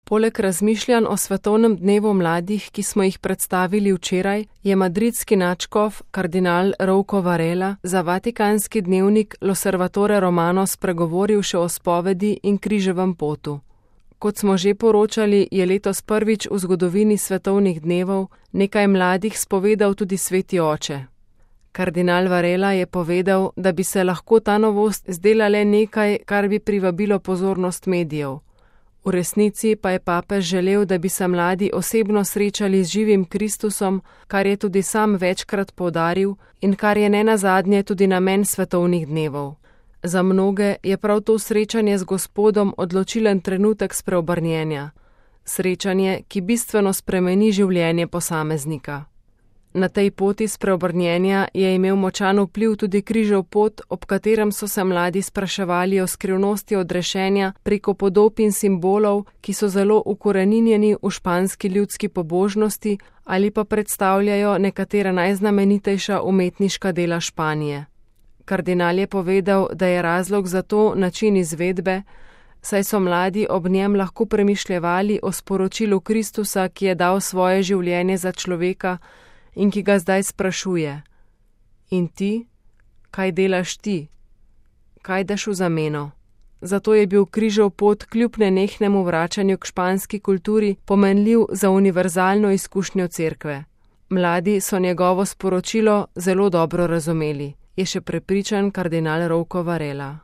Poleg razmišljanj o svetovnem dnevu mladih, ki smo jih predstavili včeraj, je madridski nadškof kardinal Rouco Varela za vatikanski dnevnik L'Osservatore Romano spregovoril še o spovedi in križevem potu. Kot smo že poročali, je letos prvič v zgodovini svetovnih dnevov nekaj mladih spovedal tudi sveti oče. Kardinal Varela je povedal, da bi se lahko ta novost zdela le nekaj, kar bi privabilo pozornost medijev. V resnici pa je papež želel, da bi se mladi osebno srečali z živim Kristusom, kar je tudi sam večkrat poudaril in kar je nenazadnje tudi namen svetovnih dnevov. Za mnoge je prav to srečanje z Gospodom odločilen trenutek spreobrnjenja. Srečanje, ki bistveno spremeni življenje posameznika. Na tej poti spreobrnjenja je imel močan vpliv tudi križev pot, ob katerem so se mladi spraševali o skrivnosti odrešenja preko podob in simbolov, ki so zelo ukoreninjeni v španski ljudski pobožnosti ali pa predstavljajo nekatera najznamenitejša umetniška dela Španije. Kardinal je povedal, da je razlog za to način izvedbe, saj so mladi ob njem lahko premišljevali o sporočilu Kristusa, ki je dal svoje življenje za človeka in ki ga zdaj sprašuje: In ti? Kaj delaš ti? Kaj daš v zameno? Zato je bil križev pot kljub nenehnemu vračanju k španski kulturi pomenljiv za univerzalno izkušnjo cerkve. Mladi so njegovo sporočilo zelo dobro razumeli, je še prepričan kardinal Rouco Varela.